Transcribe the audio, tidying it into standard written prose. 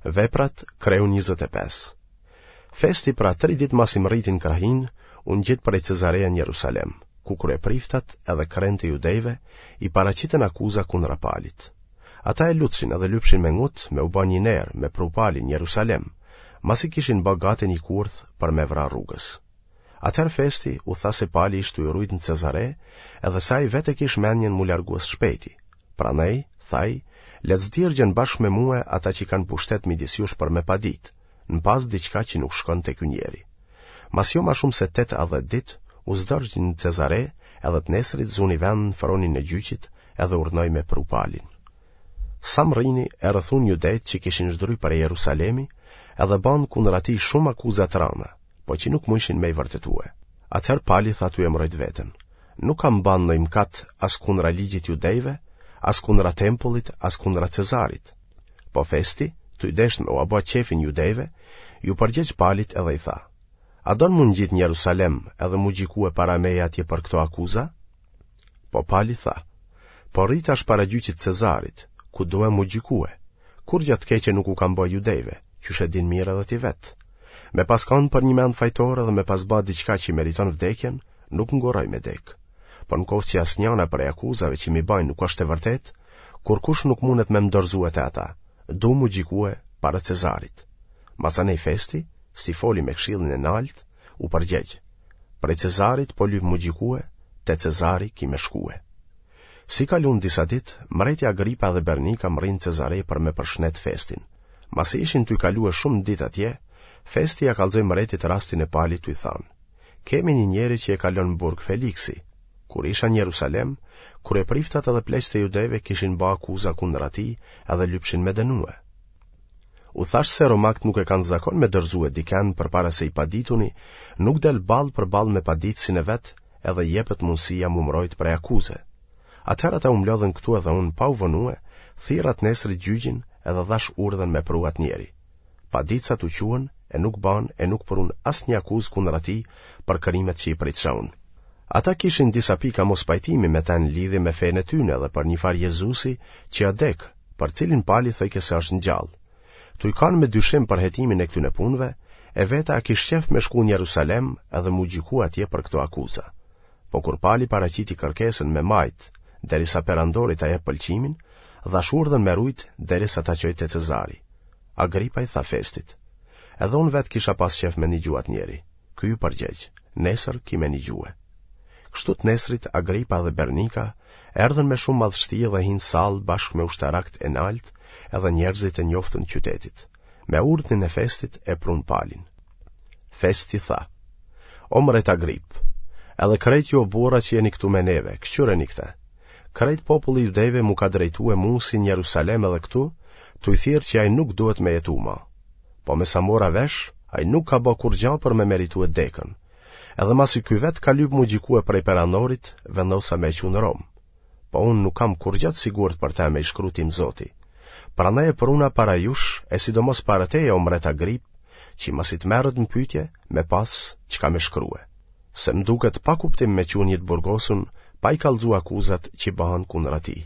Veprat, kreu 25. Festi pra tri ditë masi mrriti në krahinë, u ngjit prej Cezareje në Jerusalem, ku kryepriftat edhe krentë e judejve i paraqitën akuza kundra Palit. Ata e lutshin edhe lypshin me ngut me u ba një ner me pru Palin në Jerusalem, masi kishin ba gati një kurth për me vra rrugës. Atëherë Festi u tha se Pali ish tuj u rujt në Cezare, edhe se ai vetë e kish menjen m'u largue së shpejti. Prandaj, tha ai, le të zdirgjen bashkë me mue ata që kanë pushtet midis jush për me padit, në pastë diçka që nuk shkon te ky njeri. Mas jo ma shumë se tetë a dhetë ditë, u zdërgj në Cezare, edhe të nesrit zuni vend në fronin e gjyqit edhe urdhnoi me pru Palin. Sa mrrini, e rrethun judejtë që kishin zdryp prej Jerusalemi, edhe banë kundër atij shumë akuza të rana, po që nuk mujshin me i vërtetue. Atëherë Pali tha tuj e mbrojt veten, Nuk kam ba ndonjë mëkat as kundra ligjit judejve, as kundra tempullit, as kundra Cezarit. Po Festi, tuj deshtë me ua ba qefin judejve, iu përgjegj Palit edhe i tha, A don m'u ngjit në Jerusalem edhe m'u gjykue para meje atje për këto akuza? Po Pali tha, Po rri tash para gjyqit Cezarit, ku due m'u gjykue. Kurgja të keqe nuk u kam ba judejve, qysh e din mirë edhe ti vetë. Me pas kanë përnjëmend fajtor edhe me pas ba diçka që meriton vdekjen, nuk ngurroj me dekë. Po në koftë që asnjana prej akuzave që m'i bajnë nuk është e vërtetë, kurkush nuk mundet me më dorëzue te ata, du m'u gjykue para Cezarit. Masanej Festi, si foli me këshillin e naltë, u përgjegj, prej Cezarit po lyp m'u gjykue, te Cezari ki me shkue. Si kalun disa ditë, mreti Agripa dhe Bernika mrrinë n'Cezare për me përshnet Festin. Masi ishin tuj kalue shumë ditë atje, Festi ia kallxoi mretit rastin e Palit tuj thanë, Kemi një njeri që e ka lënë në burg Feliksi. Kur isha në Jerusalem, kryepriftat edhe pleqtë e judejve kishin ba akuza kundër atij edhe lypshin me dënue. U thashë se romakët nuk e kanë zakon me dorëzue diken përpara se i padituni nuk del ballë për ballë me paditësin e vet edhe i jepet mundësia m'u mbrojt prej akuze. Atëherë ata u mblodhën këtu edhe unë pa u vonue, thirra të nesrit gjyqin edhe dhashë urdhën me pru atë njeri. Paditësat u çuen e nuk banë e nuk prunë asnjë akuzë kundër atij për krimet që i pritsha unë. Ata kishin disa pika mospajtimi me të në lidhje me fenë e tyne dhe për njëfarë Jezusi që a dekë, për cilin Pali thojke se është ngjallë. Tuj kanë me dyshim për hetimin e këtyne punëve, e veta a kish qef me shku në Jerusalem edhe m'u gjyku atje për këto akuza. Po kur Pali paraqiti kërkesën me majt, derisa perandori ta jep pëlqimin, dhashë urdhën me rujt derisa ta çoj te Cezari. Agripa i tha Festit, Edhe unë vetë kisha pas qef me nigju atë njeri. Ky iu përgjegj, Nesër ki me nigjue. Kështu të nesrit Agripa dhe Bernika erdhën me shumë madhështi dhe hinë n'sallë bashkë me ushtarakët e naltë edhe njerëzit e njoftun të qytetit. Me urdhnin e Festit e prunë Palin. Festi tha, O mret Agrip, edhe krejt ju o burra që jeni këtu me neve, këqyreni këtë. Krejt populli i judejve m'u ka drejtue mu si në Jerusalem edhe këtu, tuj thirrë që ai nuk duhet me jetu ma. Po me sa mora vesh, ai nuk ka ba kurgja për me meritue dekën. Edhe masi ky vetë ka lyp m'u gjykue prej perandorit, vendosa me e çu në Romë. Po unë nuk kam kurgja të sigurt për te me i shkru tim zoti. Prandaj e pruna para jush, e sidomos para teje o mbret Agrip, që masi të merret në pyetje, me pas çka me shkrue. Se më duket pa kuptim me çu një të burgosun, pa i kallxu akuzat që bahen kundra tij.